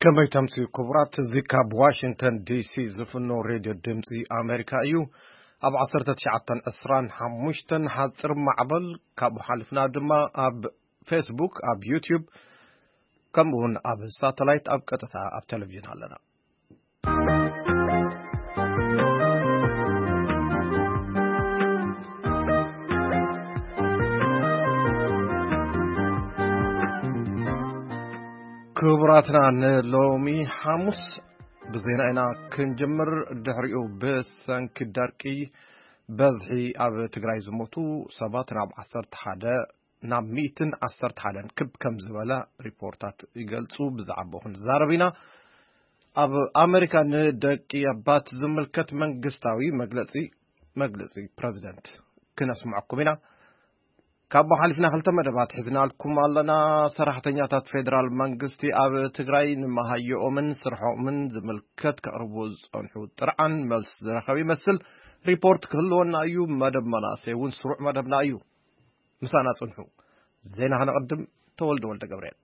ከመይ ተምሲ ክቡራት፣ እዚ ካብ ዋሽንግተን ዲሲ ዝፍኖ ሬድዮ ድምፂ ኣሜሪካ እዩ። ኣብ ዓሰርተ ትሽዓተን ዕስራን ሓሙሽተን ሓፂር ማዕበል ካብኡ ሓሊፍና ድማ ኣብ ፌስቡክ፣ ኣብ ዩቲዩብ፣ ከምኡ እውን ኣብ ሳተላይት ኣብ ቀጥታ ኣብ ቴሌቪዥን ኣለና። ክቡራትና፣ ንሎሚ ሓሙስ ብዜና ኢና ክንጅምር። ድሕሪኡ ብሰንኪ ደርቂ በዝሒ ኣብ ትግራይ ዝሞቱ ሰባት ናብ ዓሰርተ ሓደ፣ ናብ ሚእትን ዓሰርተ ሓደን ክብ ከም ዝበለ ሪፖርታት ይገልጹ። ብዛዕባኡ ክንዛረብ ኢና። ኣብ ኣሜሪካ ንደቂ ኣባት ዝምልከት መንግስታዊ መግለጺ፣ መግለጺ ፕረዚደንት ክነስምዐኩም ኢና። ካብኡ ሓሊፍና ክልተ መደባት ሒዝናልኩም ኣለና። ሰራሕተኛታት ፌደራል መንግስቲ ኣብ ትግራይ ንመሃየኦምን ስርሖምን ዝምልከት ከቕርቡ ዝጸንሑ ጥርዓን መልሲ ዝረኸብ ይመስል። ሪፖርት ክህልወና እዩ። መደብ መናእሰይ እውን ስሩዕ መደብና እዩ። ምሳና ጽንሑ። ዜና ከነቐድም። ተወልደ ወልደ ገብርኤል።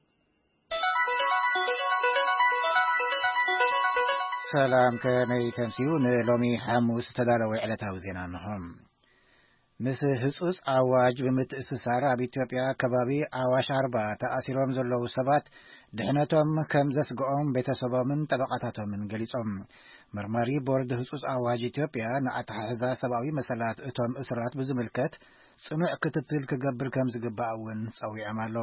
ሰላም፣ ከመይ ተምስዩ? ንሎሚ ሓሙስ ተዳለወ ዕለታዊ ዜና እንሆ። ምስ ህጹጽ ኣዋጅ ብምትእስሳር፣ ኣብ ኢትዮጵያ ከባቢ ኣዋሽ ኣርባ ተኣሲሮም ዘለዉ ሰባት ድሕነቶም ከም ዘስግኦም ቤተሰቦምን ጠበቓታቶምን ገሊጾም። መርማሪ ቦርድ ህጹጽ ኣዋጅ ኢትዮጵያ ንኣተሓሕዛ ሰብኣዊ መሰላት እቶም እሱራት ብዝምልከት ጽኑዕ ክትትል ክገብር ከም ዝግባእ እውን ጸዊዖም ኣሎ።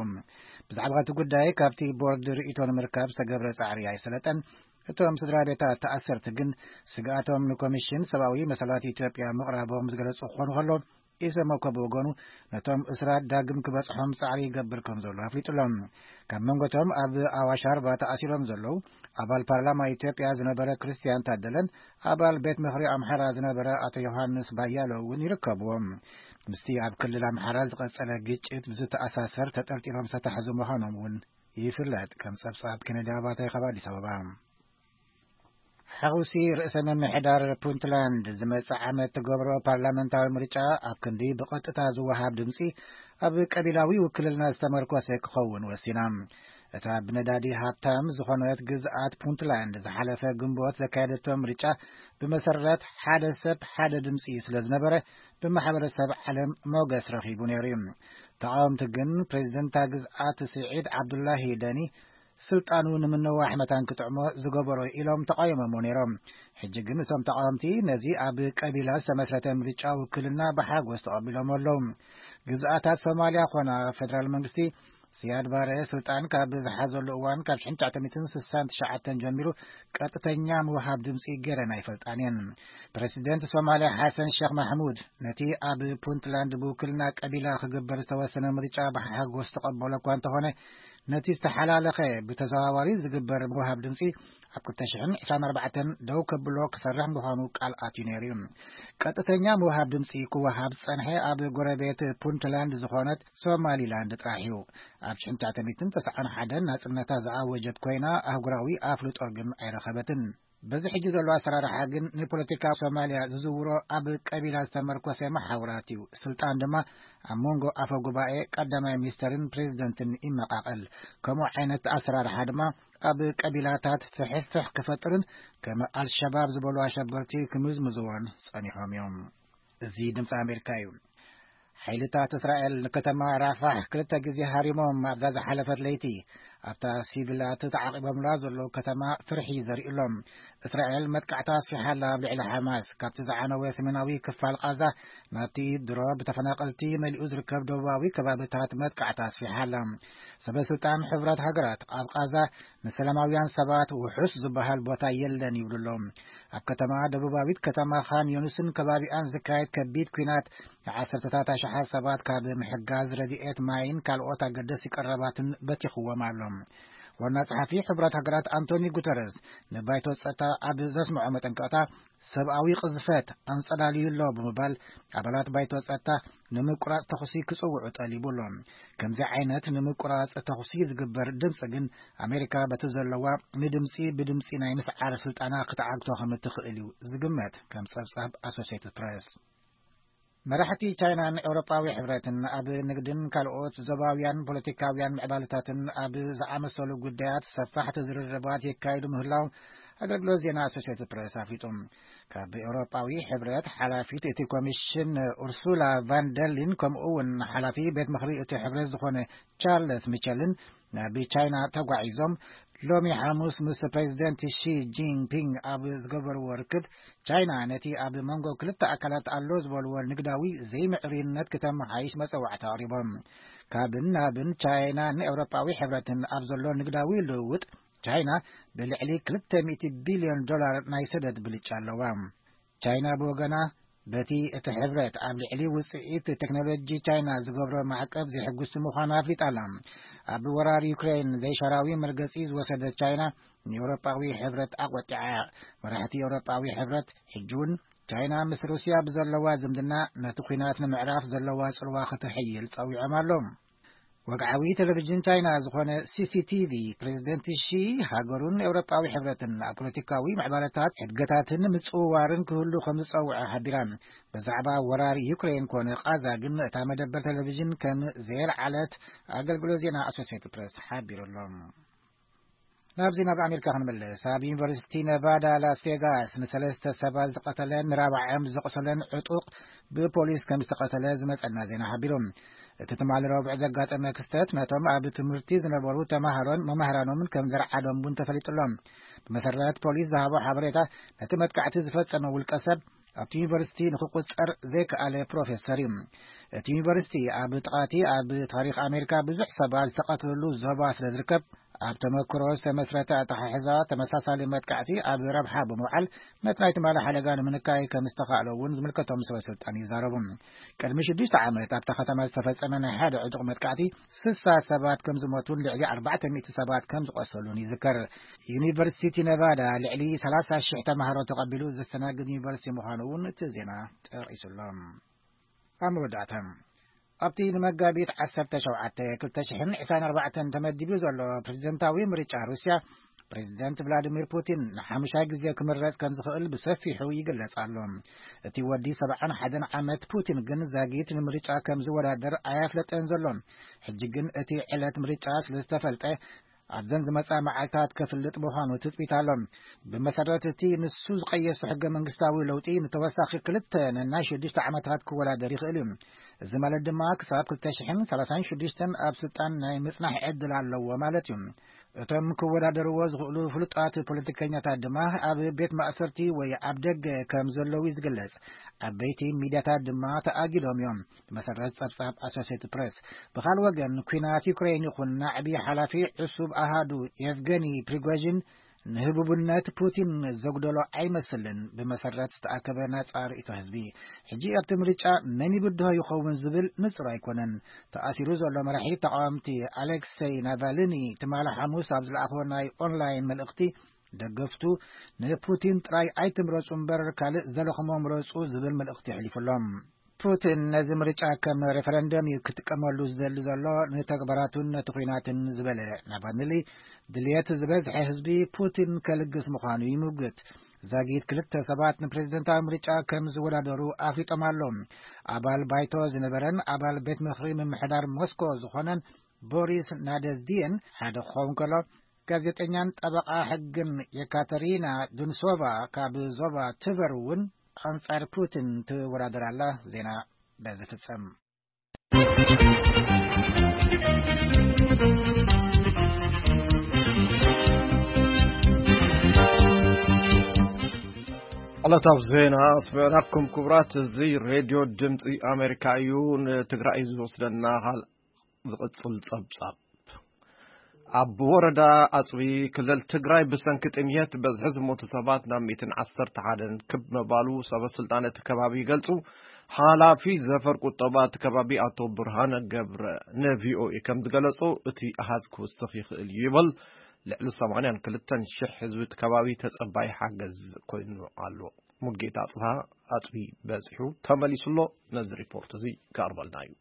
ብዛዕባ እቲ ጉዳይ ካብቲ ቦርድ ርእይቶ ንምርካብ ዝተገብረ ጻዕሪ ኣይሰለጠን። እቶም ስድራ ቤታት ተኣሰርቲ ግን ስግኣቶም ንኮሚሽን ሰብኣዊ መሰላት ኢትዮጵያ ምቕራቦም ዝገለጹ ክኾኑ ከሎ፣ ኢሰመኮ ብወገኑ ነቶም እሱራት ዳግም ክበጽሖም ጻዕሪ ይገብር ከም ዘሎ ኣፍሊጡ ኣሎ። ካብ መንጎቶም ኣብ ኣዋሽ ኣርባ ተኣሲሮም ዘለዉ ኣባል ፓርላማ ኢትዮጵያ ዝነበረ ክርስቲያን ታደለን ኣባል ቤት ምኽሪ ኣምሓራ ዝነበረ ኣቶ ዮሃንስ ባያሎ እውን ይርከብዎም። ምስቲ ኣብ ክልል ኣምሓራ ዝቐጸለ ግጭት ብዝተኣሳሰር ተጠርጢሮም ዝተታሕዙ ምዃኖም እውን ይፍለጥ። ከም ጸብጻብ ኬነዲ ኣባተ ካብ ኣዲስ ኣበባ። ሓውሲ ርእሰ ምምሕዳር ፑንትላንድ ዝመጽእ ዓመት ትገብሮ ፓርላመንታዊ ምርጫ ኣብ ክንዲ ብቐጥታ ዝወሃብ ድምጺ ኣብ ቀቢላዊ ውክልና ዝተመርኮሰ ክኸውን ወሲና። እታ ብነዳዲ ሃብታም ዝኾነት ግዝኣት ፑንትላንድ ዝሓለፈ ግንቦት ዘካየደቶ ምርጫ ብመሰረት ሓደ ሰብ ሓደ ድምጺ ስለ ዝነበረ ብማሕበረሰብ ዓለም ሞገስ ረኺቡ ነይሩ እዩ። ተቓወምቲ ግን ፕሬዚደንታ ግዝኣት ስዒድ ዓብዱላሂ ደኒ ስልጣኑ ንምንዋሕ መታን ክጥዕሞ ዝገበሮ ኢሎም ተቓይሞሞ ነይሮም። ሕጂ ግን እቶም ተቓወምቲ ነዚ ኣብ ቀቢላ ዝተመስረተ ምርጫ ውክልና ብሓጎስ ተቐቢሎም ኣለዉ። ግዝኣታት ሶማልያ ኾና ፌደራል መንግስቲ፣ ስያድ ባረ ስልጣን ካብ ዝሓዘሉ እዋን ካብ ሽሕን ትሽዓተ ሚእትን ስሳን ትሽዓተን ጀሚሩ ቀጥተኛ ምውሃብ ድምፂ ገይረን ኣይፈልጣን እየን። ፕረሲደንት ሶማልያ ሓሰን ሸኽ ማሕሙድ ነቲ ኣብ ፑንትላንድ ብውክልና ቀቢላ ክግበር ዝተወሰነ ምርጫ ብሓጎስ ተቐበሎ እኳ እንተኾነ፣ ነቲ ዝተሓላለኸ ብተዘዋዋሪ ዝግበር ምውሃብ ድምፂ ኣብ ክልተ ሽሕን ዕስራን ኣርባዕተን ደው ከብሎ ክሰርሕ ምዃኑ ቃል ኣትዩ ነይሩ እዩ። ቀጥተኛ ምውሃብ ድምፂ ክወሃብ ዝጸንሐ ኣብ ጎረቤት ፑንትላንድ ዝኾነት ሶማሊላንድ ጥራሕ እዩ። ኣብ ሽሕን ትሽዓተ ሚእትን ተስዓን ሓደን ናጽነታ ዝኣወጀት ኮይና፣ ኣህጉራዊ ኣፍልጦ ግን ኣይረኸበትን። በዚ ሕጂ ዘሎ ኣሰራርሓ ግን ንፖለቲካ ሶማልያ ዝዝውሮ ኣብ ቀቢላ ዝተመርኮሰ መሓውራት እዩ። ስልጣን ድማ ኣብ መንጎ ኣፈ ጉባኤ፣ ቀዳማይ ሚኒስተርን ፕሬዚደንትን ይመቓቐል። ከምኡ ዓይነት ኣሰራርሓ ድማ ኣብ ቀቢላታት ፍሕፍሕ ክፈጥርን ከም ኣልሸባብ ዝበሉ ኣሸበርቲ ክምዝምዝዎን ጸኒሖም እዮም። እዚ ድምፂ ኣሜሪካ እዩ። ሓይልታት እስራኤል ንከተማ ራፋሕ ክልተ ግዜ ሃሪሞም ኣብዛ ዝሓለፈት ለይቲ ኣብታ ሲቪላት ተዓቒቦምላ ዘለዉ ከተማ ፍርሒ ዘርእሎም። እስራኤል መጥቃዕታ ኣስፊሓ ኣላ ኣብ ልዕሊ ሓማስ። ካብቲ ዝዓነወ ሰሜናዊ ክፋል ቃዛ ናብቲ ድሮ ብተፈናቐልቲ መሊኡ ዝርከብ ደቡባዊ ከባብታት መጥቃዕታ ኣስፊሓ ኣላ። ሰበ ስልጣን ሕቡራት ሃገራት ኣብ ቃዛ ንሰላማውያን ሰባት ውሑስ ዝበሃል ቦታ የለን ይብሉ ኣለዉ። ኣብ ከተማ ደቡባዊት ከተማ ኻን ዮኑስን ከባቢኣን ዝካየድ ከቢድ ኲናት ንዓሰርተታት ኣሽሓት ሰባት ካብ ምሕጋዝ ረድኤት ማይን ካልኦት ኣገደስቲ ቀረባትን በቲኽዎም ኣሎ። ዋና ጸሓፊ ሕቡራት ሃገራት ኣንቶኒ ጉተረስ ንባይቶ ጸጥታ ኣብ ዘስምዖ መጠንቀቕታ፣ ሰብኣዊ ቅዝፈት ኣንጸላልዩ ኣሎ ብምባል፣ ኣባላት ባይቶ ጸጥታ ንምቁራጽ ተኹሲ ክጽውዑ ጠሊቡ ኣሎ። ከምዚ ዓይነት ንምቁራጽ ተኹሲ ዝግበር ድምጺ ግን፣ ኣሜሪካ በቲ ዘለዋ ንድምጺ ብድምጺ ናይ ምስዓር ስልጣና ክትዓግቶ ከም እትኽእል እዩ ዝግመት፣ ከም ጸብጻብ ኣሶሴትድ ፕሬስ። መራሕቲ ቻይናን ኤውሮጳዊ ሕብረትን ኣብ ንግድን ካልኦት ዞባውያን ፖለቲካውያን ምዕባለታትን ኣብ ዝኣመሰሉ ጉዳያት ሰፋሕቲ ዝርርባት የካይዱ ምህላው ኣገልግሎት ዜና ኣሶሲየትድ ፕሬስ ኣፍሊጡ። ካብ ኤውሮጳዊ ሕብረት ሓላፊት እቲ ኮሚሽን ኡርሱላ ቫን ደርሊን፣ ከምኡ እውን ሓላፊ ቤት ምኽሪ እቲ ሕብረት ዝኾነ ቻርለስ ሚቸልን ናብ ቻይና ተጓዒዞም ሎሚ ሓሙስ ምስ ፕሬዚደንት ሺ ጂንፒንግ ኣብ ዝገበርዎ ርክብ፣ ቻይና ነቲ ኣብ መንጎ ክልተ ኣካላት ኣሎ ዝበልዎ ንግዳዊ ዘይምዕሩይነት ክተመሓይሽ መጸዋዕታ ኣቕሪቦም። ካብን ናብን ቻይናን ኤውሮጳዊ ሕብረትን ኣብ ዘሎ ንግዳዊ ልውውጥ፣ ቻይና ብልዕሊ ክልተ ሚእቲ ቢልዮን ዶላር ናይ ሰደድ ብልጫ ኣለዋ። ቻይና ብወገና፣ በቲ እቲ ሕብረት ኣብ ልዕሊ ውጽኢት ቴክኖሎጂ ቻይና ዝገብሮ ማዕቀብ ዘይሕጉስቲ ምዃኑ ኣፍሊጣ ኣላ። ኣብ ወራር ዩክሬን ዘይሻራዊ መርገጺ ዝወሰደት ቻይና፣ ንኤውሮጳዊ ሕብረት ኣቖጢዓ። መራሕቲ ኤውሮጳዊ ሕብረት ሕጂ እውን ቻይና ምስ ሩስያ ብዘለዋ ዝምድና ነቲ ኲናት ንምዕራፍ ዘለዋ ጽልዋ ከተሐይል ጸዊዖም ኣለዉ። ወግዓዊ ቴሌቪዥን ቻይና ዝኾነ ሲ ሲ ቲ ቪ፣ ፕሬዚደንት ሺ ሃገሩን ኤውሮጳዊ ሕብረትን ኣብ ፖለቲካዊ ምዕባለታት፣ ሕድገታትን ምጽውዋርን ክህሉ ከም ዝጸውዐ ሓቢራ። ብዛዕባ ወራር ዩክሬን ኮነ ቃዛ ግን እታ መደበር ቴሌቪዥን ከም ዘየልዓለት ኣገልግሎት ዜና ኣሶሲየትድ ፕሬስ ሓቢሩ ኣሎ። ናብዚ ናብ ኣሜሪካ ክንምለስ፣ ኣብ ዩኒቨርሲቲ ነቫዳ ላስ ቬጋስ ንሰለስተ ሰባት ዝቐተለን ንራብዓኦም ዘቑሰለን ዕጡቕ ብፖሊስ ከም ዝተቐተለ ዝመጸና ዜና ሓቢሩ። እቲ ትማሊ ረቡዕ ዘጋጠመ ክስተት ነቶም ኣብ ትምህርቲ ዝነበሩ ተማሃሮን መማህራኖምን ከም ዘርዓዶም እውን ተፈሊጡ ኣሎ። ብመሰረት ፖሊስ ዝሃቦ ሓበሬታ፣ ነቲ መጥቃዕቲ ዝፈጸመ ውልቀ ሰብ ኣብቲ ዩኒቨርሲቲ ንክቁጸር ዘይከኣለ ፕሮፌሰር እዩ። እቲ ዩኒቨርሲቲ ኣብ ጥቓቲ ኣብ ታሪኽ ኣሜሪካ ብዙሕ ሰባት ዝተቐትልሉ ዞባ ስለ ዝርከብ፣ ኣብ ተመክሮ ዝተመስረተ ኣተሓሕዛ ተመሳሳሊ መጥቃዕቲ ኣብ ረብሓ ብምውዓል ነቲ ናይ ትማሊ ሓደጋ ንምንካይ ከም ዝተኻእለ እውን ዝምልከቶም ሰበ ስልጣን ይዛረቡ። ቅድሚ ሽዱሽተ ዓመት ኣብታ ከተማ ዝተፈጸመ ናይ ሓደ ዕጡቕ መጥቃዕቲ ስሳ ሰባት ከም ዝሞቱን ልዕሊ ኣርባዕተ ሚእቲ ሰባት ከም ዝቆሰሉን ይዝከር። ዩኒቨርሲቲ ነቫዳ ልዕሊ ሰላሳ ሽሕ ተማሃሮ ተቐቢሉ ዘስተናግድ ዩኒቨርሲቲ ምዃኑ እውን እቲ ዜና ጠቒሱ ኣሎ። ኣብ መወዳእታ፣ ኣብቲ ንመጋቢት ዓሰርተ ሸውዓተ ክልተ ሽሕን ዕስራን ኣርባዕተን ተመዲቡ ዘሎ ፕሬዚደንታዊ ምርጫ ሩስያ፣ ፕሬዚደንት ቭላዲሚር ፑቲን ንሓሙሻይ ግዜ ክምረጽ ከም ዝኽእል ብሰፊሑ ይግለጽ ኣሎ። እቲ ወዲ ሰብዓን ሓደን ዓመት ፑቲን ግን ዛጊት ንምርጫ ከም ዝወዳደር ኣያፍለጠን ዘሎ። ሕጂ ግን እቲ ዕለት ምርጫ ስለ ዝተፈልጠ፣ ኣብዘን ዝመጻ መዓልታት ከፍልጥ ምዃኑ ትጽቢት ኣሎ። ብመሰረት እቲ ንሱ ዝቐየሶ ሕገ መንግስታዊ ለውጢ፣ ንተወሳኺ ክልተ ነናይ ሽዱሽተ ዓመታት ክወዳደር ይኽእል እዩ። እዚ ማለት ድማ ክሳብ ክልተ ሽሕን ሰላሳን ሽዱሽተን ኣብ ስልጣን ናይ ምጽናሕ ዕድል ኣለዎ ማለት እዩ። እቶም ክወዳደርዎ ዝኽእሉ ፍሉጣት ፖለቲከኛታት ድማ ኣብ ቤት ማእሰርቲ ወይ ኣብ ደገ ከም ዘለዉ እዩ ዝግለጽ። ዓበይቲ ሚድያታት ድማ ተኣጊዶም እዮም። ብመሰረት ጸብጻብ ኣሶሲየትድ ፕሬስ። ብኻል ወገን፣ ኲናት ዩክሬን ይኹን ናዕቢ ሓላፊ ዕሱብ ኣሃዱ የቭገኒ ፕሪጎዥን ንህቡብነት ፑቲን ዘጉደሎ ኣይመስልን። ብመሰረት ዝተኣከበ ናጻ ርእይቶ ህዝቢ፣ ሕጂ ኣብቲ ምርጫ መን ይብድሆ ይኸውን ዝብል ንጹር ኣይኮነን። ተኣሲሩ ዘሎ መራሒ ተቃወምቲ ኣሌክሰይ ናቫልኒ ትማሊ ሓሙስ ኣብ ዝለኣኾ ናይ ኦንላይን መልእኽቲ፣ ደገፍቱ ንፑቲን ጥራይ ኣይትምረጹ እምበር ካልእ ዘለኹሞ ምረጹ ዝብል መልእኽቲ የሕሊፉሎም። ፑቲን ነዚ ምርጫ ከም ሬፈረንደም እዩ ክጥቀመሉ ዝደሊ ዘሎ፣ ንተግባራቱን ነቲ ኲናትን ዝበለ ናቫልኒ፣ ድልየት ዝበዝሐ ህዝቢ ፑቲን ከልግስ ምዃኑ ይምጉት። ዛጊት ክልተ ሰባት ንፕሬዝደንታዊ ምርጫ ከም ዝወዳደሩ ኣፍሊጦም ኣለዉ። ኣባል ባይቶ ዝነበረን ኣባል ቤት ምኽሪ ምምሕዳር ሞስኮ ዝኾነን ቦሪስ ናደዝዲየን ሓደ ክኸውን ከሎ፣ ጋዜጠኛን ጠበቓ ሕግን የካተሪና ዱንሶቫ ካብ ዞባ ትቨር እውን ኣንጻር ፑቲን ትወዳደር ኣላ። ዜና በዚ ፍጸም። ዕለታዊ ዜና ኣስመዕናኩም። ክቡራት፣ እዚ ሬድዮ ድምፂ ኣሜሪካ እዩ። ንትግራይ ዝወስደና ካል ዝቕጽል ጸብጻብ። ኣብ ወረዳ ኣጽቢ ክልል ትግራይ ብሰንኪ ጥምየት በዝሒ ዝሞቱ ሰባት ናብ ሚእትን ዓሰርተ ሓደን ክብ ምባሉ ሰበ ስልጣን እቲ ከባቢ ይገልጹ። ሓላፊ ዘፈር ቁጠባ እቲ ከባቢ ኣቶ ብርሃነ ገብረ ንቪኦኤ ከም ዝገለጹ፣ እቲ ኣሃዝ ክውስኽ ይኽእል እዩ ይበል። ልዕሊ ሰማንያን ክልተን ሽሕ ህዝቢ እቲ ከባቢ ተጸባይ ሓገዝ ኮይኑ ኣሎ። ሙልጌታ ኣጽብሃ ኣጽቢ በጺሑ ተመሊሱ ኣሎ። ነዚ ሪፖርት እዚ ክቐርበልና እዩ።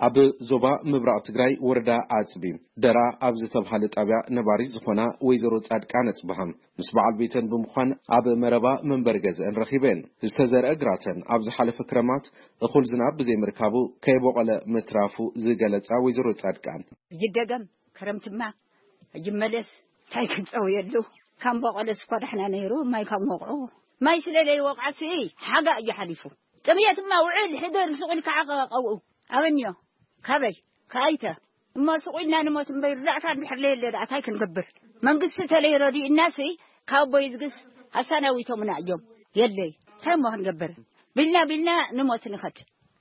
ኣብ ዞባ ምብራቕ ትግራይ ወረዳ ኣፅቢ ደራ ኣብ ዝተብሃለ ጣብያ ነባሪት ዝኾና ወይዘሮ ጻድቃን ኣፅብሃ ምስ በዓል ቤተን ብምዃን ኣብ መረባ መንበሪ ገዝአን ረኺበን። ዝተዘርአ ግራተን ኣብ ዝሓለፈ ክረማት እኹል ዝናብ ብዘይምርካቡ ከይቦቐለ ምትራፉ ዝገለጻ ወይዘሮ ጻድቃን፣ ይደገም፣ ክረምትማ ይመለስ፣ እንታይ ክንጸውየሉ? ካብ ቦቐለስ እኳ ዳሕና ነይሩ፣ ማይ ካብ ወቕዑ፣ ማይ ስለ ዘይወቕዐሲ ሓጋ እዩ ሓሊፉ። ጥምየትማ ውዕል ሕደር ሱቕ ኢልካ ዓቐባቐብኡ ኣበንዮ። ካበይ? ካይተ? እሞ ሱቕ ኢልና ንሞት እምበር፣ ርዳእታ እንድሕር ለየለ ደኣ እንታይ ክንገብር? መንግስቲ ተለይ ረዲእናሲ፣ ካብ ኣቦይ ዝግስ ኣሳናዊቶምና እዮም። የለይ፣ እንታይ እሞ ክንገብር? ቢልና ቢልና ንሞት ንኸድ።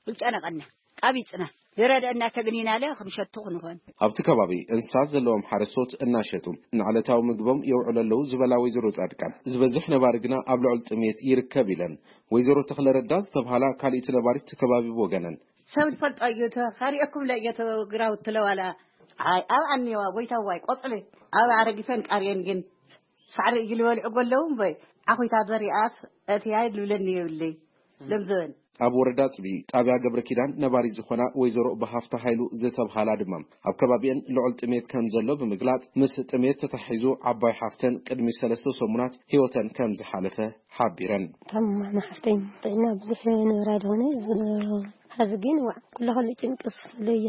ይጨነቐና፣ ቃቢጽና። ዝረደአና ተግኒናለ ክንሸቱ ክንኾን። ኣብቲ ከባቢ እንስሳት ዘለዎም ሓረስቶት እናሸጡ ንዕለታዊ ምግቦም የውዕሉ ኣለዉ ዝበላ ወይዘሮ ጻድቃን፣ ዝበዝሕ ነባሪ ግና ኣብ ልዑል ጥሜት ይርከብ ኢለን። ወይዘሮ ተኽለረዳ ዝተብሃላ ካልኢት ነባሪት እቲ ከባቢ ብወገነን፣ ሰብ ዝፈልጦ እዩ፣ ተኻሪአኩም ለእየ ተግራውት ትለዋላ። ኣይ፣ ኣብ ኣንየዋ ጎይታዋይ ቆጽሊ ኣብ ኣረጊፈን ቃርየን ግን ሳዕሪ እዩ ዝበልዑ ጎለዉ እምበይ፣ ዓኹይታ ዘሪኣት እትያይ ልብለኒ የብለይ። ለምዘበን ኣብ ወረዳ ጽቢ ጣብያ ገብረ ኪዳን ነባሪት ዝኾና ወይዘሮ ብሃፍታ ሃይሉ ዝተብሃላ ድማ፣ ኣብ ከባቢአን ልዑል ጥሜት ከም ዘሎ ብምግላጽ፣ ምስ ጥሜት ተታሒዙ ዓባይ ሓፍተን ቅድሚ ሰለስተ ሰሙናት ህይወተን ከም ዝሓለፈ ሓቢረን። ታማማ ሓፍተይ ጥዕና ብዙሕ ንብራ ዝኾነ፣ እዚ ዶ፣ ሐዚ ግን ዋዕ፣ ኩሉ ከሉ ጭንቅስ ለየ።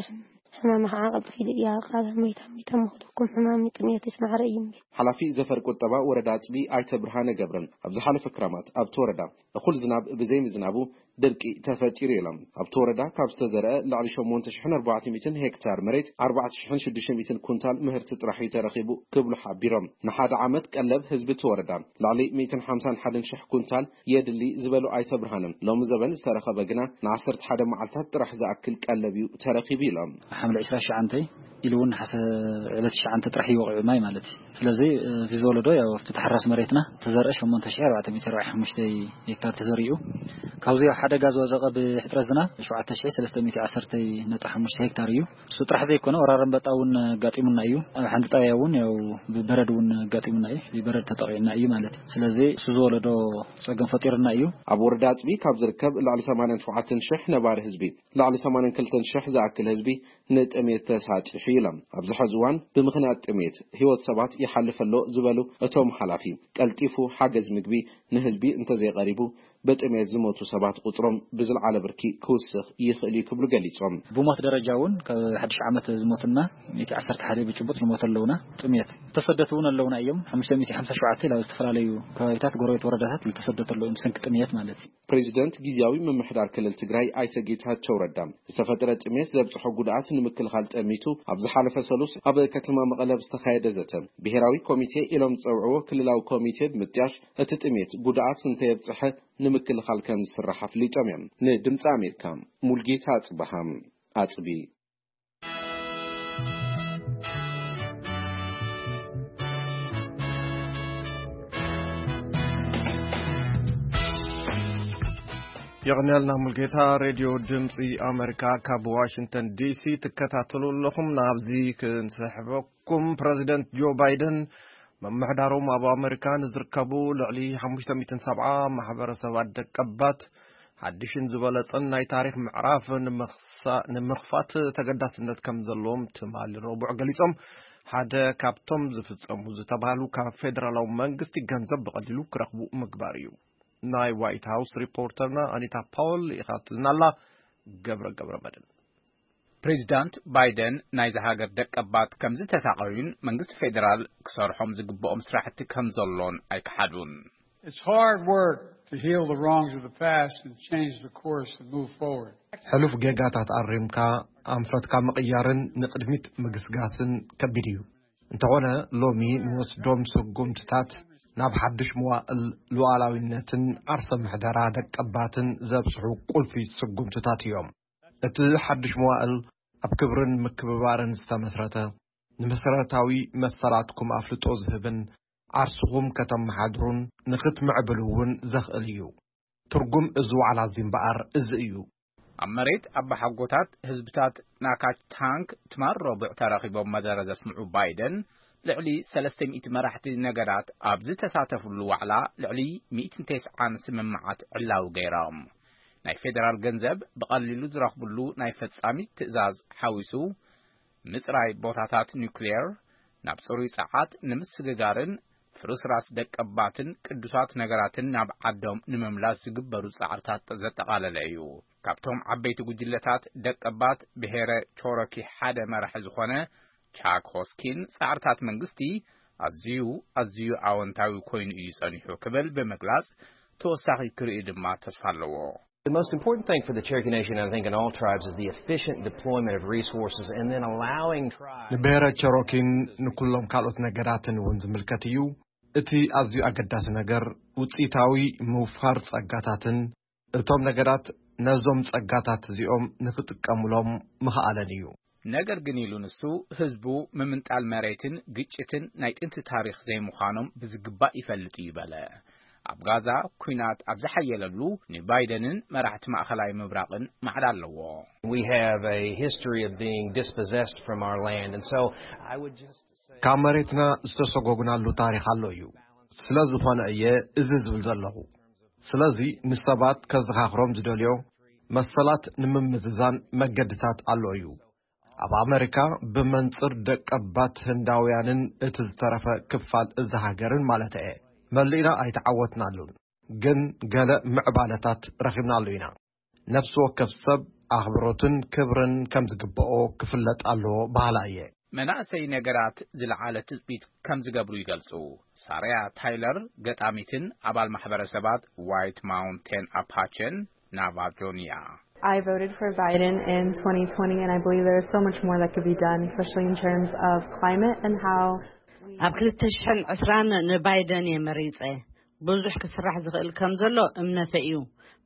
ሕማማ ከዓ ቀልጥፍ ኢሉ እያ፣ ቃል መይታ መይታ ምኽደኩም፣ ሕማም ጥሜትስ ማዕረ እዩ እምቢ። ሓላፊ ዘፈር ቁጠባ ወረዳ ጽቢ ኣይተ ብርሃነ ገብረን፣ ኣብ ዝሓለፈ ክረማት ኣብቲ ወረዳ እኹል ዝናብ ብዘይምዝናቡ ድርቂ ተፈጢሩ ኢሎም። ኣብቲ ወረዳ ካብ ዝተዘርአ ልዕሊ ሸሞንተ ሽሕን ኣርባዕተ ሚእትን ሄክታር መሬት ኣርባዕተ ሽሕን ሽዱሽተ ሚእትን ኩንታል ምህርቲ ጥራሕ እዩ ተረኺቡ ክብሉ ሓቢሮም። ንሓደ ዓመት ቀለብ ህዝቢ እቲ ወረዳ ልዕሊ ሚእትን ሓምሳን ሓደን ሽሕ ኩንታል የድሊ ዝበሉ ኣይተ ብርሃነ፣ ሎሚ ዘበን ዝተረኸበ ግና ንዓሰርተ ሓደ መዓልታት ጥራሕ ዝኣክል ቀለብ እዩ ተረኺቡ ኢሎም። ሓምለ ዕስራ ትሽዓተ ኢሉ እውን ነሓሰ ዕለት ትሽዓተ ጥራሕ እዩ ወቒዑ ማይ ማለት እዩ። ስለዚ እዚ ዝወለዶ ያው ኣብቲ ተሓራስ መሬትና ተዘርአ ሸሞንተ ሽሕ ኣርባዕተ ሚእቲ ኣርባዕተ ሓሙሽተ ሄክታር ተዘሪኡ። ካብዚ ያው ሓደጋ ዝወዘቐ ብሕፅረት ዝናብ ሸውዓተ ሽሕ ሰለስተ ሚእቲ ዓሰርተ ነጥቢ ሓሙሽተ ሄክታር እዩ። እሱ ጥራሕ ዘይኮነ ወራር ኣንበጣ እውን ኣጋጢሙና እዩ። ኣብ ሓንቲ ጣብያ እውን ያው ብበረድ እውን ኣጋጢሙና እዩ። ብበረድ ተጠቒዕና እዩ ማለት እዩ። ስለዚ እሱ ዝወለዶ ፀገም ፈጢርና እዩ። ኣብ ወረዳ ኣፅቢ ካብ ዝርከብ ልዕሊ ሰማንያን ሸውዓተን ሽሕ ነባሪ ህዝቢ፣ ልዕሊ ሰማንያን ክልተን ሽሕ ዝኣክል ህዝቢ ንጥሜት ተሳጢሑ ኢሎም። ኣብዚ ሐዚ እዋን ብምኽንያት ጥሜት ህይወት ሰባት ይሓልፍ ኣሎ ዝበሉ እቶም ሓላፊ፣ ቀልጢፉ ሓገዝ ምግቢ ንህዝቢ እንተዘይቐሪቡ ብጥሜት ዝሞቱ ሰባት ቁፅሮም ብዝለዓለ ብርኪ ክውስኽ ይኽእል እዩ ክብሉ ገሊፆም። ብሞት ደረጃ እውን ካብ ሓድሽ ዓመት ዝሞትና ሚእቲ ዓሰርተ ሓደ ብጭቡጥ ንሞት ኣለውና። ጥሜት ዝተሰደቱ እውን ኣለውና እዮም። ሓሙሽተ ሚእቲ ሓምሳ ሸውዓተ ናብ ዝተፈላለዩ ከባቢታት ጎረቤት ወረዳታት ዝተሰደቱ ኣለዉ እዮም ብሰንኪ ጥሜት ማለት እዩ። ፕሬዚደንት ግዝያዊ ምምሕዳር ክልል ትግራይ ኣይተ ጌታቸው ረዳ ዝተፈጠረ ጥሜት ዘብፅሖ ጉድኣት ንምክልኻል ጠሚቱ ኣብ ዝሓለፈ ሰሉስ ኣብ ከተማ መቐለ ዝተኻየደ ዘተ ብሄራዊ ኮሚቴ ኢሎም ዝፀውዕዎ ክልላዊ ኮሚቴ ብምጥያሽ እቲ ጥሜት ጉድኣት እንተየብፅሐ ንምክልኻል ከም ዝስራሕ ኣፍሊጦም እዮም። ንድምፂ ኣሜሪካ ሙልጌታ ኣፅበሃ ኣፅቢ። የቕንያልና ሙልጌታ። ሬድዮ ድምፂ ኣሜሪካ ካብ ዋሽንግተን ዲሲ ትከታተሉ ኣለኹም። ናብዚ ክንስሕበኩም፣ ፕረዚደንት ጆ ባይደን ምምሕዳሮም ኣብ ኣሜሪካ ንዝርከቡ ልዕሊ ሓሙሽተ ሚእትን ሰብዓ ማሕበረሰባት ደቀባት ሓድሽን ዝበለጸን ናይ ታሪኽ ምዕራፍ ንምኽሳ-፣ ንምኽፋት ተገዳስነት ከም ዘለዎም ትማሊ ረቡዕ ገሊጾም፣ ሓደ ካብቶም ዝፍጸሙ ዝተባህሉ ካብ ፌደራላዊ መንግስቲ ገንዘብ ብቐሊሉ ክረኽቡ ምግባር እዩ። ናይ ዋይት ሃውስ ሪፖርተርና ኣኒታ ፓውል ይኻትልና ኣላ። ገብረ ገብረ መድን። ፕሬዚዳንት ባይደን ናይዛ ሃገር ደቀባት ከም ዝተሳቐዩን መንግስቲ ፌደራል ክሰርሖም ዝግብኦም ስራሕቲ ከም ዘሎን ኣይከሓዱን። It's hard work to heal the wrongs of the past and change the course and move forward. ሕሉፍ ጌጋታት ኣሪምካ ኣንፈትካ ምቕያርን ንቕድሚት ምግስጋስን ከቢድ እዩ። እንተኾነ ሎሚ ንወስዶም ስጉምትታት ናብ ሓድሽ መዋእል ሉዓላዊነትን ዓርሰ ምሕደራ ደቀባትን ዘብጽሑ ቁልፊ ስጉምትታት እዮም። እቲ ሓድሽ መዋእል ኣብ ክብርን ምክብባርን ዝተመስረተ፣ ንመሰረታዊ መሰላትኩም ኣፍልጦ ዝህብን ዓርስኹም ከተመሓድሩን ንኽትምዕብሉ እውን ዘኽእል እዩ። ትርጉም እዚ ዋዕላ እዚ እምበኣር እዚ እዩ። ኣብ መሬት ኣባሓጎታት ህዝብታት ናካች ታንክ ትማል ረቡዕ ተራኺቦም መደረ ዘስምዑ ባይደን፣ ልዕሊ ሰለስተ ሚእቲ መራሕቲ ነገዳት ኣብ ዝተሳተፍሉ ዋዕላ ልዕሊ ሚእትን ተስዓን ስምምዓት ዕላዊ ገይሮም። ናይ ፌደራል ገንዘብ ብቐሊሉ ዝረኽብሉ ናይ ፈጻሚት ትእዛዝ ሓዊሱ፣ ምጽራይ ቦታታት ኒውክሌር፣ ናብ ጽሩይ ጸዓት ንምስግጋርን ፍርስራስ ደቀባትን ቅዱሳት ነገራትን ናብ ዓዶም ንምምላስ ዝግበሩ ጻዕርታት ዘጠቓለለ እዩ። ካብቶም ዓበይቲ ጉጅለታት ደቀባት ብሄረ ቾሮኪ ሓደ መራሒ ዝኾነ ቻክ ሆስኪን፣ ጻዕርታት መንግስቲ ኣዝዩ፣ ኣዝዩ ኣወንታዊ ኮይኑ እዩ ጸኒሑ ክብል ብምግላጽ፣ ተወሳኺ ክርኢ ድማ ተስፋ ኣለዎ። The most important thing for the Cherokee Nation, I think, in all tribes is the efficient deployment of resources and then allowing tribes ንብሔረ ቸሮኪን ንኩሎም ካልኦት ነገዳትን እውን ዝምልከት እዩ። እቲ ኣዝዩ ኣገዳሲ ነገር ውጽኢታዊ ምውፋር ጸጋታትን እቶም ነገዳት ነዞም ጸጋታት እዚኦም ንኽጥቀሙሎም ምኽኣለን እዩ። ነገር ግን፣ ኢሉ ንሱ፣ ህዝቡ ምምንጣል መሬትን ግጭትን ናይ ጥንቲ ታሪኽ ዘይምዃኖም ብዝግባእ ይፈልጥ እዩ በለ። ኣብ ጋዛ ኲናት ኣብ ዝሓየለሉ፣ ንባይደንን መራሕቲ ማእኸላይ ምብራቕን ማዕዳ ኣለዎ። We have a history of being dispossessed from our land, and so I would just say ካብ መሬትና ዝተሰጎግናሉ ታሪኽ ኣሎ እዩ። ስለ ዝኾነ እየ እዚ ዝብል ዘለኹ። ስለዚ ንሰባት ከዘኻኽሮም ዝደልዮ፣ መሰላት ንምምዝዛን መገድታት ኣሎ እዩ። ኣብ ኣመሪካ ብመንጽር ደቀባት ህንዳውያንን እቲ ዝተረፈ ክፋል እዚ ሃገርን ማለት እየ፣ መሊእና ኣይተዓወትናሉን፣ ግን ገለ ምዕባለታት ረኺብናሉ ኢና። ነፍሲ ወከፍ ሰብ ኣኽብሮትን ክብርን ከም ዝግብኦ ክፍለጥ ኣለዎ በሃላ እየ። መናእሰይ ነገራት ዝለዓለ ትጽቢት ከም ዝገብሩ ይገልጹ። ሳርያ ታይለር፣ ገጣሚትን ኣባል ማሕበረሰባት ዋይት ማውንቴን ኣፓቸን ናቫጆን እያ። I voted for Biden in twenty twenty, and I believe there is so much more that could be done, especially in terms of climate and how ኣብ ክልተ ሽሕን ዕስራን ንባይደን እየ መሪጸ። ብዙሕ ክስራሕ ዝኽእል ከም ዘሎ እምነተ እዩ።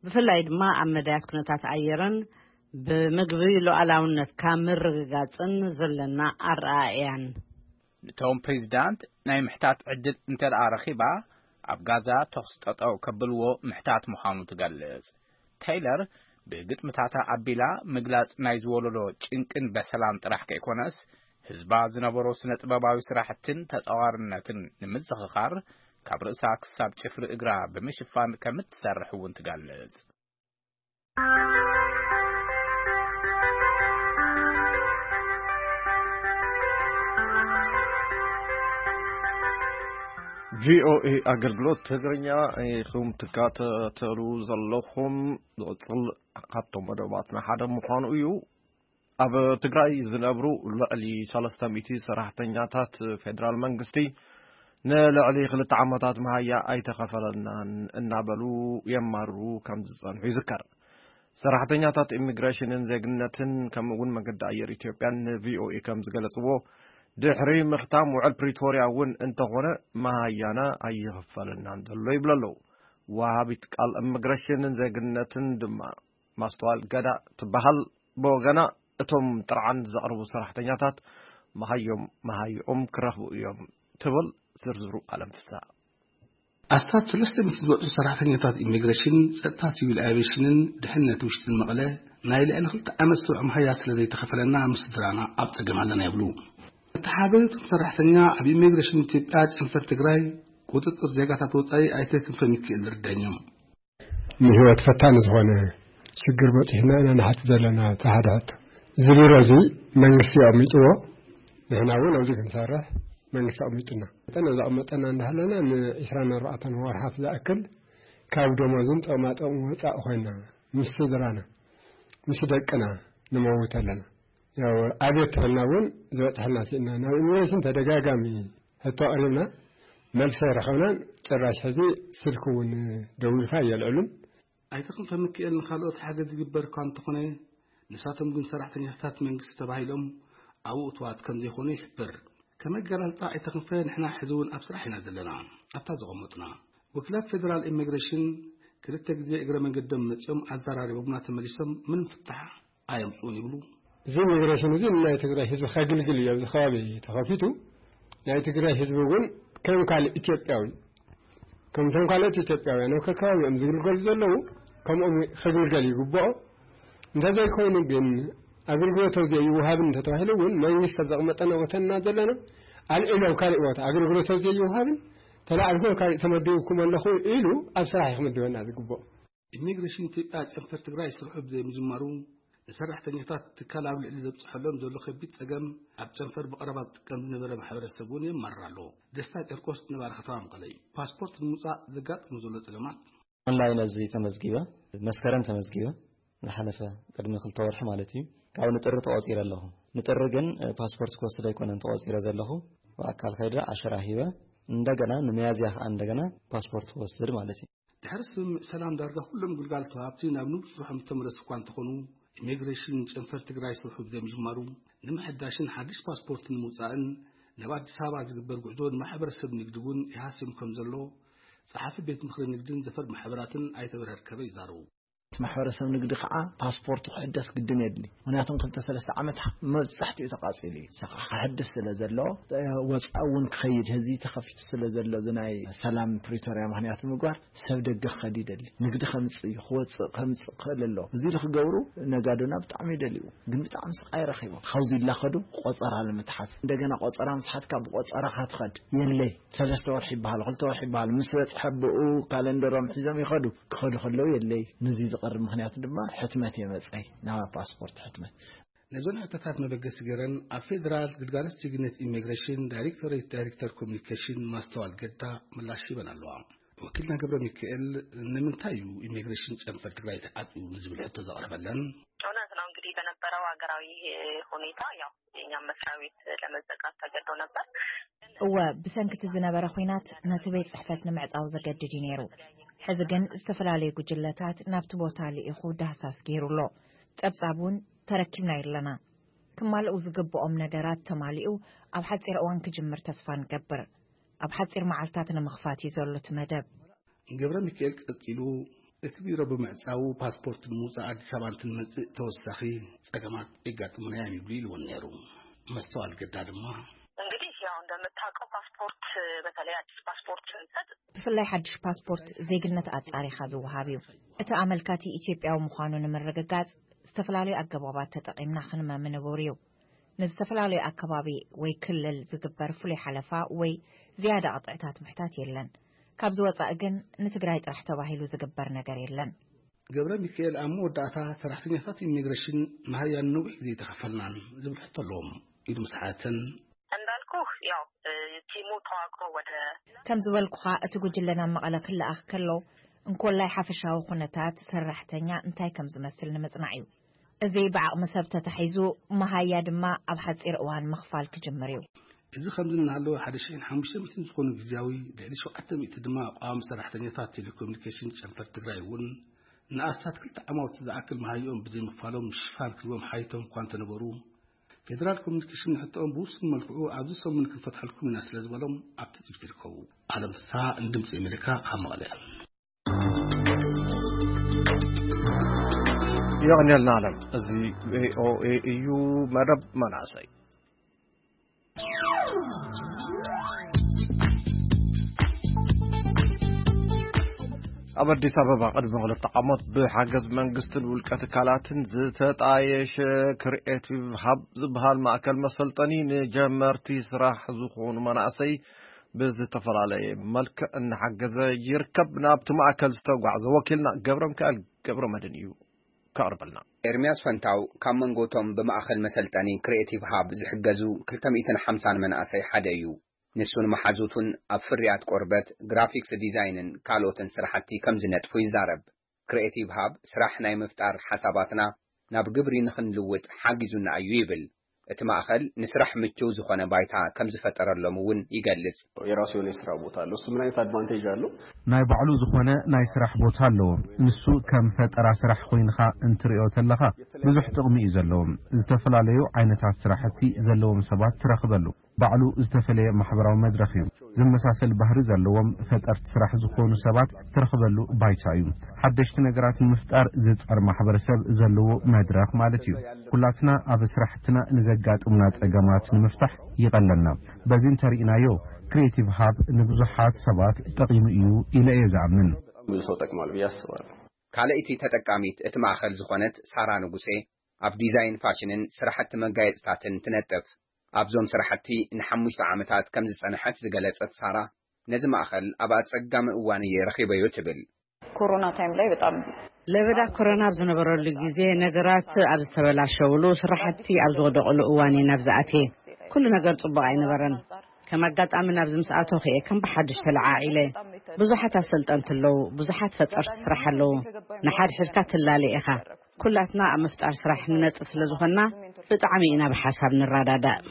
ብፍላይ ድማ ኣብ መዳያት ኩነታት ኣየርን ብምግቢ ሉዓላውነትካ ምርግጋጽን ዘለና ኣረኣእያን። ንቶም ፕሬዚዳንት ናይ ምሕታት ዕድል እንተ ደኣ ረኺባ፣ ኣብ ጋዛ ተኹሲ ጠጠው ከብልዎ ምሕታት ምዃኑ ትገልጽ። ቴይለር ብግጥምታታ ኣቢላ ምግላጽ ናይ ዝወለዶ ጭንቅን በሰላን ጥራሕ ከይኮነስ፣ ህዝባ ዝነበሮ ስነ ጥበባዊ ስራሕትን ተጻዋርነትን ንምዝኽኻር፣ ካብ ርእሳ ክሳብ ጭፍሪ እግራ ብምሽፋን ከም እትሰርሕ እውን ትገልጽ። ቪኦኤ ኣገልግሎት ትግርኛ ኢኹም ትከታተሉ ዘለኹም። ዝቕጽል ካብቶም መደባትና ሓደ ምዃኑ እዩ። ኣብ ትግራይ ዝነብሩ ልዕሊ ሰለስተ ሚእቲ ሰራሕተኛታት ፌደራል መንግስቲ ንልዕሊ ክልተ ዓመታት መሃያ ኣይተኸፈለናን እናበሉ የማርሩ ከም ዝጸንሑ ይዝከር። ሰራሕተኛታት ኢሚግሬሽንን ዜግነትን ከምኡ እውን መንገዲ ኣየር ኢትዮጵያን ንቪኦኤ ከም ዝገለጽዎ፣ ድሕሪ ምኽታም ውዕል ፕሪቶርያ እውን እንተኾነ መሃያና ኣይኽፈለናን ዘሎ ይብሉ ኣለዉ። ወሃቢት ቃል ኢሚግሬሽንን ዜግነትን ድማ ማስተዋል ገዳ ትበሃል ብወገና፣ እቶም ጥርዓን ዘቕርቡ ሰራሕተኛታት መሃዮም መሃይኦም ክረኽቡ እዮም ትብል። ዝርዝሩ ኣለም ፍስሃ። ኣስታት ሰለስተ ሚእቲ ዝበጽሑ ሰራሕተኛታት ኢሚግሬሽን፣ ጸጥታ፣ ሲቪል ኣቪዬሽንን ድሕነት ውሽጥን መቐለ ናይ ልዕሊ ክልተ ዓመት ስሩዕ መሃያ ስለ ዘይተኸፈለና ምስ ስድራና ኣብ ጸገም ኣለና ይብሉ። እቲ ሓደ እቶም ሰራሕተኛ ኣብ ኢሚግሬሽን ኢትዮጵያ ጨንፈር ትግራይ ቁጽጽር ዜጋታት ወጻኢ ኣይተ ክንፈ ሚካኤል ዝርዳኝ እዮም። ንህይወት ፈታኒ ዝኾነ ሽግር በጺሕና ኢና ንሓት ዘለና። እቲ ሓደ ሕቶ፣ እዚ ቢሮ እዚ መንግስቲ ኣቕሚጥዎ፣ ንሕና እውን ኣብዚ ክንሰርሕ መንግስቲ ኣቕሚጡና። መጠን ዘቐመጠና እንዳሃለና ንዒስራን ኣርባዕተን ወርሓት ዝኣክል ካብ ደሞዝን ጥቕማ ጥቕሚ ወፃእ ኮይና ምስ ስድራና ምስ ደቅና ንመውት ኣለና። ያው ኣቤት ተበልና እውን ዝበፅሐና ስኢና። ናብ ኢሚግሬሽን ተደጋጋሚ ሕቶ ኣቕሪብና መልሲ ኣይረኸብናን። ጭራሽ ሕዚ ስልኪ እውን ደዊልካ የልዕሉን። ኣይተ ክንፈ ሚካኤል ንኻልኦት ሓገዝ ይግበር እኳ እንተኾነ፣ ንሳቶም ግን ሰራሕተኛታት መንግስቲ ተባሂሎም ኣብኡ እትዋት ከም ዘይኾኑ ይሕብር። ከም ኣገላልጻ ኣይተ ክንፈ፣ ንሕና ሕዚ እውን ኣብ ስራሕ ኢና ዘለና። ኣብታ ዘቐመጡና ወኪላት ፌደራል ኢሚግሬሽን ክልተ ግዜ እግረ መንገዶም መጺኦም ኣዘራሪቦምና ተመሊሶም ምንም ፍታሕ ኣየምጽኡን ይብሉ። እዚ ኢሚግሬሽን እዚ ንናይ ትግራይ ህዝቢ ከግልግል እዩ ኣብዚ ከባቢ ተኸፊቱ። ናይ ትግራይ ህዝቢ እውን ከም ካልእ ኢትዮጵያዊ፣ ከምቶም ካልኦት ኢትዮጵያውያን ኣብ ከከባቢኦም ዝግልገሉ ዘለዉ፣ ከምኦም ከግልገል ይግብኦ። እንተዘይኮይኑ ግን ኣገልግሎት ኣብዚኣ ይወሃብን እንተተባሂሉ እውን መንግስቲ ኣብ ዘቕመጠና ቦታ ኢና ዘለና። ኣልዒሎም ካልእ ቦታ ኣገልግሎት ኣብዚኣ ይወሃብን ተላዕልኩም ካልእ ተመዲብኩም ኣለኹ ኢሉ ኣብ ስራሕ እዩ ክምድበና ዝግብኦ። ኢሚግሬሽን ኢትዮጵያ ጨንፈር ትግራይ ስርሑ ብዘይምጅማሩ፣ ንሰራሕተኛታት ትካል ኣብ ልዕሊ ዘብፅሐሎም ዘሎ ከቢድ ፀገም ኣብ ጨንፈር ብቐረባ ዝጥቀም ዝነበረ ማሕበረሰብ እውን የማርር ኣሎ። ደስታ ጨርቆስ ነባሪ ከተማ መቐለ እዩ። ፓስፖርት ንምውፃእ ዘጋጥሙ ዘሎ ፀገማት። ኦንላይን ኣብዚ ተመዝጊበ፣ መስከረም ተመዝጊበ፣ ዝሓለፈ ቅድሚ ክልተ ወርሒ ማለት እዩ። ካብ ንጥሪ ተቆፂረ ኣለኹ። ንጥሪ ግን ፓስፖርት ክወስድ ኣይኮነን ተቆፂረ ዘለኹ። ብኣካል ከይደ ዓሸራ ሂበ፣ እንደገና ንመያዝያ ከዓ እንደገና ፓስፖርት ክወስድ ማለት እዩ። ድሕሪ ስምምዕ ሰላም ዳርጋ ኩሎም ግልጋሎት ወሃብቲ ናብ ንቡር ስርሖም ዝተመለሱ እኳ እንተኾኑ፣ ኢሚግሬሽን ጨንፈር ትግራይ ስርሑ ብዘምጅማሩ፣ ንምሕዳሽን ሓድሽ ፓስፖርት ንምውፃእን ናብ ኣዲስ ኣበባ ዝግበር ጉዕዞ ንማሕበረሰብ ንግዲ እውን ይሃስዮም ከም ዘሎ ጸሓፊ ቤት ምኽሪ ንግድን ዘፈር ማሕበራትን ኣይተ በርሀ ርከበ ይዛረቡ። እቲ ማሕበረሰብ ንግዲ ከዓ ፓስፖርቱ ክሕደስ ግድን የድሊ። ምክንያቱም ክልተ ሰለስተ ዓመት መብዛሕትኡ ተቃፂሉ እዩ። ንሳ ከዓ ክሕደስ ስለ ዘለዎ፣ ወፃኢ እውን ክኸይድ፣ ህዚ ተኸፊቱ ስለ ዘሎ፣ እዚ ናይ ሰላም ፕሪቶርያ ምክንያት ብምግባር ሰብ ደገ ክኸድ ይደሊ፣ ንግዲ ከምፅእ እዩ፣ ክወፅእ ከምፅእ ክኽእል ኣለዎ። እዚ ኢሉ ክገብሩ ነጋዶና ብጣዕሚ ይደልዩ፣ ግን ብጣዕሚ ስቃይ ረኺቦም። ካብዚ ይላኸዱ ቆፀራ ንምትሓዝ፣ እንደገና ቆፀራ ምስሓትካ ብቆፀራ ካትኸድ የለይ። ሰለስተ ወርሒ ይበሃል፣ ክልተ ወርሒ ይበሃል፣ ምስ በፅሐ ብኡ ካለንደሮም ሒዞም ይኸዱ። ክኸዱ ከለዉ የለይ። ነዚ ዝቐርብ ምክንያት ድማ ሕትመት የመፀይ፣ ናብ ፓስፖርት ሕትመት። ነዞን ሕቶታት መበገሲ ገይረን ኣብ ፌደራል ግልጋሎት ዜግነት ኢሚግሬሽን ዳይሬክቶሬት ዳይሬክተር ኮሚኒኬሽን ማስተዋል ገዳ ምላሽ ሂበን ኣለዋ። ወኪልና ገብረ ሚካኤል፣ ንምንታይ እዩ ኢሚግሬሽን ጨንፈር ትግራይ ተዓፅዩ ንዝብል ሕቶ ዘቕረበለን? እውነት ነው። እንግዲህ በነበረው ሀገራዊ ሁኔታ ያው የኛም መስሪያ ቤት ለመዘጋት ተገዶ ነበር። እወ፣ ብሰንኪ እቲ ዝነበረ ኲናት ነቲ ቤት ጽሕፈት ንምዕጻው ዘገድድ እዩ ነይሩ። ሕዚ ግን ዝተፈላለዩ ጉጅለታት ናብቲ ቦታ ልኢኹ ዳህሳስ ገይሩ ኣሎ። ጸብጻብ እውን ተረኪብና ኣለና። ክማልኡ ዝግብኦም ነገራት ተማሊኡ ኣብ ሓጺር እዋን ክጅምር ተስፋ ንገብር። ኣብ ሓጺር መዓልታት ንምኽፋት እዩ ዘሎ እቲ መደብ። ገብረ ሚካኤል ቀጺሉ፣ እቲ ቢሮ ብምዕጻዉ ፓስፖርት ንምውጻእ ኣዲስ ኣበባ እንትንመጽእ ተወሳኺ ጸገማት የጋጥሙና እዮም ይብሉ ኢልዎን ነይሩ። መስተዋል ገዳ ድማ፣ እንግዲህ ያው እንደምታውቀው ፓስፖርት፣ በተለይ አዲስ ፓስፖርት ስንሰጥ፣ ብፍላይ ሓድሽ ፓስፖርት ዜግነት ኣጻሪኻ ዝወሃብ እዩ። እቲ ኣመልካቲ ኢትዮጵያዊ ምዃኑ ንምርግጋጽ ዝተፈላለዩ ኣገባባት ተጠቒምና ክንመ ምንቡር እዩ። ንዝተፈላለዩ ኣከባቢ ወይ ክልል ዝግበር ፍሉይ ሓለፋ ወይ ዝያዳ ቅጥዕታት ምሕታት የለን። ካብዚ ወጻኢ ግን ንትግራይ ጥራሕ ተባሂሉ ዝግበር ነገር የለን። ገብረ ሚካኤል ኣብ መወዳእታ ሰራሕተኛታት ኢሚግሬሽን መሃያን ነዊሕ ግዜ ኣይተኸፈልናን ዝብል ሕቶ ኣለዎም ኢሉ ምስ ሓተተን፣ እንዳልኩህ ያው እ፣ ቲሙ ተዋቅሮ ወደ ከም ዝበልኩኻ እቲ ጉጅለ ናብ መቐለ ክለኣኽ ከሎ እንኮላይ ሓፈሻዊ ኩነታት ሰራሕተኛ እንታይ ከም ዝመስል ንምጽናዕ እዩ። እዚ ብዓቕሚ ሰብ ተታሒዙ መሃያ ድማ ኣብ ሓጺር እዋን ምኽፋል ክጅምር እዩ። እዚ ከምዚ እናሃለወ ሓደ ሽሕን ሓሙሽተ ሚእትን ዝኾኑ ግዝያዊ፣ ልዕሊ ሸውዓተ ሚእቲ ድማ ቋሚ ሰራሕተኛታት ቴሌኮሙኒኬሽን ጨንፈር ትግራይ እውን ንኣስታት ክልተ ዓማውቲ ዝኣክል መሃይኦም ብዘይምኽፋሎም ሽፋን ክህቦም ሓይቶም እኳ እንተነበሩ፣ ፌደራል ኮሙኒኬሽን ንሕቶኦም ብውሱን መልክዑ ኣብዚ ሰሙን ክንፈትሐልኩም ኢና ስለ ዝበሎም ኣብ ትጽቢት ይርከቡ። ኣለም ፍስሃ ንድምፂ ኣሜሪካ ካብ መቐለ። የቐንየልና ኣለም። እዚ ቪኦኤ እዩ። መደብ መናእሰይ። ኣብ ኣዲስ ኣበባ ቅድሚ ክልተ ዓመት ብሓገዝ መንግስትን ውልቀ ትካላትን ዝተጣየሸ ክሪኤቲቭ ሃብ ዝበሃል ማእከል መሰልጠኒ ንጀመርቲ ስራሕ ዝኾኑ መናእሰይ ብዝተፈላለየ መልክዕ እናሓገዘ ይርከብ። ናብቲ ማእከል ዝተጓዕዘ ወኪልና ገብረ ሚካኤል ገብረ መድህን እዩ ከቕርበልና። ኤርምያስ ፈንታው ካብ መንጎ እቶም ብማእከል መሰልጠኒ ክሪኤቲቭ ሃብ ዝሕገዙ ክልተ ሚእትን ሓምሳን መናእሰይ ሓደ እዩ። ንሱን መሓዙቱን ኣብ ፍርያት ቆርበት፣ ግራፊክስ ዲዛይንን ካልኦትን ስራሕቲ ከም ዝነጥፉ ይዛረብ። ክሪኤቲቭ ሃብ ስራሕ ናይ ምፍጣር ሓሳባትና ናብ ግብሪ ንኽንልውጥ ሓጊዙና እዩ ይብል። እቲ ማእኸል ንስራሕ ምቹው ዝኾነ ባይታ ከም ዝፈጠረሎም እውን ይገልጽ። የራሱ የሆነ የስራ ቦታ አለው። እሱ ምን አይነት አድቫንቴጅ አለው? ናይ ባዕሉ ዝኾነ ናይ ስራሕ ቦታ ኣለዎ። ንሱ ከም ፈጠራ ስራሕ ኮይንኻ እንትርእዮ ተለኻ ብዙሕ ጥቕሚ እዩ ዘለዎ። ዝተፈላለዩ ዓይነታት ስራሕቲ ዘለዎም ሰባት ትረኽበሉ። ባዕሉ ዝተፈለየ ማሕበራዊ መድረኽ እዩ። ዝመሳሰል ባህሪ ዘለዎም ፈጠርቲ ስራሕ ዝኾኑ ሰባት ዝተረኽበሉ ባይታ እዩ። ሓደሽቲ ነገራት ንምፍጣር ዝጸር ማሕበረሰብ ዘለዎ መድረኽ ማለት እዩ። ኩላትና ኣብ ስራሕትና ንዘጋጥሙና ጸገማት ንምፍታሕ ይቐለና። በዚ እንተርኢናዮ፣ ክሪኤቲቭ ሃብ ንብዙሓት ሰባት ጠቒሙ እዩ ኢለ እየ ዝኣምን። ብዙ ሰው ጠቅሟል ብዬ አስባለሁ። ካልኣይቲ ተጠቃሚት እቲ ማእኸል ዝኾነት ሳራ ንጉሴ፣ ኣብ ዲዛይን ፋሽንን ስራሕቲ መጋየፅታትን ትነጥፍ። ኣብዞም ስራሕቲ ንሓሙሽተ ዓመታት ከም ዝፀንሐት ዝገለፀት ሳራ፣ ነዚ ማእኸል ኣብ ኣፀጋሚ እዋን እየ ረኺበዮ ትብል። ኮሮና ታይም ላይ በጣም ለበዳ ኮሮና ኣብ ዝነበረሉ ግዜ፣ ነገራት ኣብ ዝተበላሸውሉ፣ ስራሕቲ ኣብ ዝወደቕሉ እዋን እየ ናብዚ ኣትየ። ኩሉ ነገር ጽቡቕ ኣይነበረን። ከም ኣጋጣሚ ናብዚ ምስ ኣተኹ እየ ከም ብሓድሽ ተለዓዒለ። ብዙሓት ኣሰልጠንቲ ኣለዉ፣ ብዙሓት ፈጠርቲ ስራሕ ኣለዉ። ንሓድሕድካ ትላለ ኢኻ። ኩላትና ኣብ ምፍጣር ስራሕ ንነጥፍ ስለ ዝኾንና፣ ብጣዕሚ ኢና ብሓሳብ ንረዳዳእ።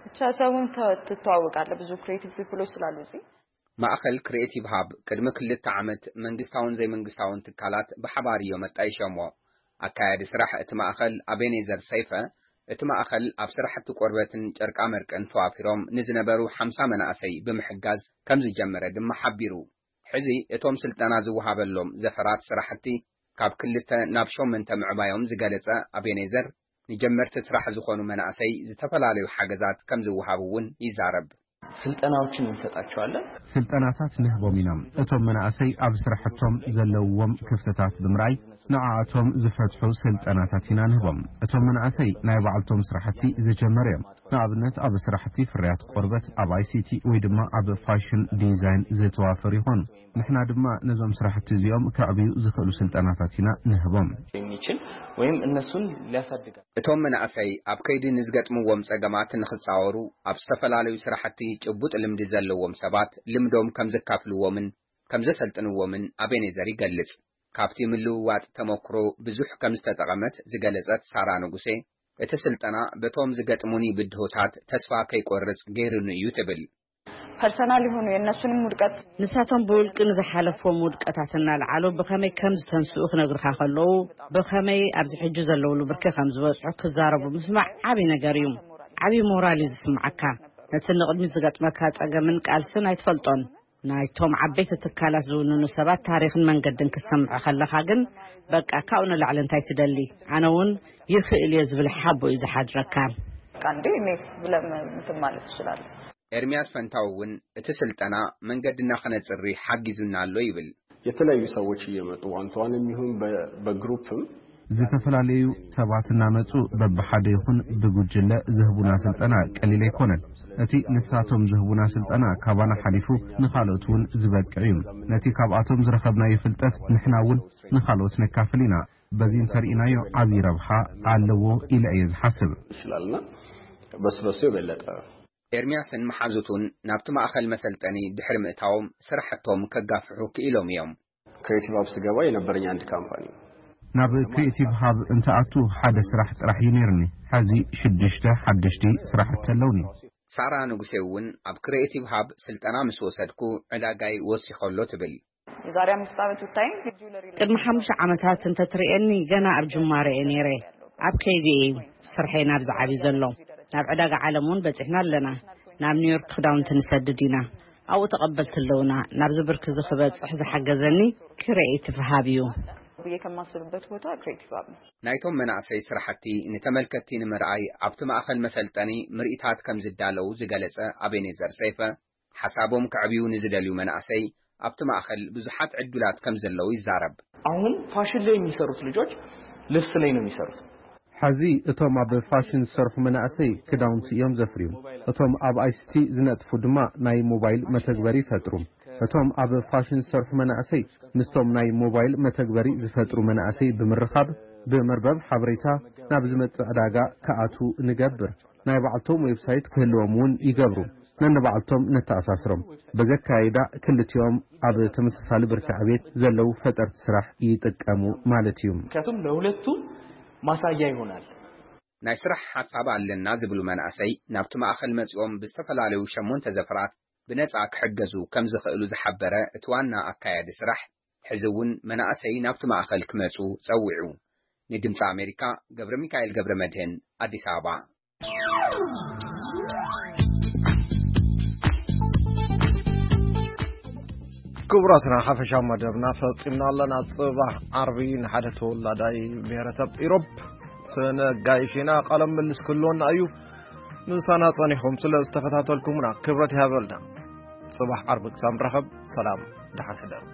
ብቻ ሰውን ትተዋወቃለህ፣ ብዙ ክሬቲቭ ፒፕሎች ስላሉ እዚህ። ማእኸል ክሪኤቲቭ ሃብ ቅድሚ ክልተ ዓመት መንግስታውን ዘይመንግስታውን ትካላት ብሓባር እዮም ኣጣይሸሞ። ኣካያዲ ስራሕ እቲ ማእኸል ኣቤኔዘር ሰይፈ፣ እቲ ማእኸል ኣብ ስራሕቲ ቆርበትን ጨርቃ መርቅን ተዋፊሮም ንዝነበሩ ሓምሳ መናእሰይ ብምሕጋዝ ከም ዝጀመረ ድማ ሓቢሩ። ሕዚ እቶም ስልጠና ዝወሃበሎም ዘፈራት ስራሕቲ ካብ ክልተ ናብ ሸሞንተ ምዕባዮም ዝገለጸ ኣቤኔዘር፣ ንጀመርቲ ስራሕ ዝኾኑ መናእሰይ ዝተፈላለዩ ሓገዛት ከም ዝወሃቡ እውን ይዛረብ። ስልጠናዎችን እንሰጣቸዋለን። ስልጠናታት ንህቦም ኢና። እቶም መናእሰይ ኣብ ስራሕቶም ዘለውዎም ክፍተታት ብምርኣይ ንዓኣቶም ዝፈትሑ ስልጠናታት ኢና ንህቦም። እቶም መናእሰይ ናይ ባዕልቶም ስራሕቲ ዝጀመሩ እዮም። ንኣብነት ኣብ ስራሕቲ ፍርያት ቆርበት፣ ኣብ ኣይሲቲ ወይ ድማ ኣብ ፋሽን ዲዛይን ዝተዋፈሩ ይኾኑ። ንሕና ድማ ነዞም ስራሕቲ እዚኦም ከዕብዩ ዝኽእሉ ስልጠናታት ኢና ንህቦም። የሚችል ወይም እነሱን ሊያሳድጋል። እቶም መናእሰይ ኣብ ከይዲ ንዝገጥምዎም ጸገማት ንኽጻወሩ ኣብ ዝተፈላለዩ ስራሕቲ ጭቡጥ ልምዲ ዘለዎም ሰባት ልምዶም ከም ዘካፍልዎምን ከም ዘሰልጥንዎምን ኣቤኔዘር ይገልጽ። ካብቲ ምልውዋጥ ተመክሮ ብዙሕ ከም ዝተጠቐመት ዝገለጸት ሳራ ንጉሴ፣ እቲ ስልጠና በቶም ዝገጥሙኒ ብድሆታት ተስፋ ከይቆርጽ ገይሩኒ እዩ ትብል። ፐርሰናል የሆኑ የእነሱንም ውድቀት ንሳቶም ብውልቂ ንዝሓለፍዎም ውድቀታት እናልዓሉ ብኸመይ ከም ዝተንስኡ ክነግርካ ከለዉ፣ ብኸመይ ኣብዚ ሕጂ ዘለውሉ ብርኪ ከም ዝበጽሑ ክዛረቡ ምስማዕ ዓብዪ ነገር እዩ። ዓብዪ ሞራል እዩ ዝስምዓካ። ነቲ ንቕድሚት ዝገጥመካ ጸገምን ቃልስን ኣይትፈልጦን። ናይቶም ዓበይቲ ትካላት ዝውንኑ ሰባት ታሪኽን መንገድን ክትሰምዖ ከለኻ ግን፣ በቃ ካብኡ ንላዕሊ እንታይ ትደሊ? ኣነ እውን ይኽእል እየ ዝብል ሓቦ እዩ ዝሓድረካ። በቃ እንዴ እኔስ ብለህ እንትን ማለት ትችላለህ። ኤርሚያስ ፈንታው እውን እቲ ስልጠና መንገድና ክነጽሪ ሓጊዙና ኣሎ ይብል። የተለያዩ ሰዎች እየመጡ ዋን ቱ ዋን የሚሆን በግሩፕም ዝተፈላለዩ ሰባት እናመጹ በብሓደ ይኹን ብጉጅለ ዝህቡና ስልጠና ቀሊል ኣይኮነን። እቲ ንሳቶም ዝህቡና ስልጠና ካባና ሓሊፉ ንኻልኦት እውን ዝበቅዕ እዩ። ነቲ ካብኣቶም ዝረኸብናዮ ፍልጠት ንሕና እውን ንኻልኦት ነካፍል ኢና። በዚ እንተርኢናዮ ዓብዪ ረብሓ ኣለዎ ኢለ እየ ዝሓስብ። ይችላልና በሱ በሱ የበለጠ ኤርሚያስን መሓዙቱን ናብቲ ማእኸል መሰልጠኒ ድሕሪ ምእታዎም ስራሕቶም ከጋፍሑ ክኢሎም እዮም። ክሬቲቭ ሃብ ስገባ የነበረኝ አንድ ካምፓኒ። ናብ ክሪኤቲቭ ሃብ እንትኣቱ ሓደ ስራሕ ጥራሕ እዩ ነይርኒ። ሕዚ ሽዱሽተ ሓደሽቲ ስራሕቲ ኣለውኒ። ሳራ ንጉሴ እውን ኣብ ክሪኤቲቭ ሃብ ስልጠና ምስ ወሰድኩ ዕዳጋይ ወሲኸሎ ትብል። የዛሬ አምስት ዓመት ብታይ ቅድሚ ሓሙሽተ ዓመታት እንተትርእየኒ ገና ኣብ ጅማረ እየ ነይረ። ኣብ ከይዲ እየ ስርሐይ ናብዚ ዓብዩ ዘሎ። ናብ ዕዳጋ ዓለም እውን በፂሕና ኣለና። ናብ ኒውዮርክ ክዳውንቲ ንሰድድ ኢና። ኣብኡ ተቐበልቲ ኣለውና። ናብዚ ብርኪ እዚ ክበፅሕ ዝሓገዘኒ ክሪኤቲቭ ሃብ እዩ። ብዬ ከማስብበት ቦታ ክሬቲቭ ሃብ ነው። ናይቶም መናእሰይ ስራሕቲ ንተመልከትቲ ንምርኣይ ኣብቲ ማእኸል መሰልጠኒ ምርኢታት ከም ዝዳለው ዝገለጸ ኣቤኔዘር ሰይፈ፣ ሓሳቦም ከዕብዩ ንዝደልዩ መናእሰይ ኣብቲ ማእኸል ብዙሓት ዕዱላት ከም ዘለዉ ይዛረብ። አሁን ፋሽን ላይ የሚሰሩት ልጆች ልብስ ላይ ነው የሚሰሩት። ሕዚ እቶም ኣብ ፋሽን ዝሰርሑ መናእሰይ ክዳውንቲ እዮም ዘፍርዩ። እቶም ኣብ ኣይሲቲ ዝነጥፉ ድማ ናይ ሞባይል መተግበሪ ይፈጥሩ። እቶም ኣብ ፋሽን ዝሰርሑ መናእሰይ ምስቶም ናይ ሞባይል መተግበሪ ዝፈጥሩ መናእሰይ ብምርኻብ ብመርበብ ሓበሬታ ናብ ዝመጽእ ዕዳጋ ክኣትዉ ንገብር። ናይ ባዕልቶም ዌብሳይት ክህልዎም እውን ይገብሩ። ነንባዕልቶም ነተኣሳስሮም። በዚ ኣካይዳ ክልቲኦም ኣብ ተመሳሳሊ ብርኪ ዕቤት ዘለዉ ፈጠርቲ ስራሕ ይጥቀሙ ማለት እዩ። ምክንያቱም ለሁለቱም ማሳያ ይሆናል። ናይ ስራሕ ሓሳብ ኣለና ዝብሉ መናእሰይ ናብቲ ማእኸል መጺኦም ብዝተፈላለዩ ሸሞንተ ዘፈራት ብነጻ ክሕገዙ ከም ዝኽእሉ ዝሓበረ እቲ ዋና ኣካያዲ ስራሕ፣ ሕዚ እውን መናእሰይ ናብቲ ማእኸል ክመጹ ጸዊዑ። ንድምፂ ኣሜሪካ ገብረ ሚካኤል ገብረ መድህን ኣዲስ ኣበባ። ክቡራትና ሓፈሻ መደብና ፈጺምና ኣለና። ጽባሕ ዓርቢ ንሓደ ተወላዳይ ብሔረሰብ ኢሮብ ክነጋይሽ ኢና። ቃለ ምልልስ ክህልወና እዩ። ምሳና ጸኒሕኩም ስለ ዝተኸታተልኩምና ክብረት ይሃበልና። ጽባሕ ዓርቢ ክሳብ ንራኸብ ሰላም፣ ደሓን ሕደሩ።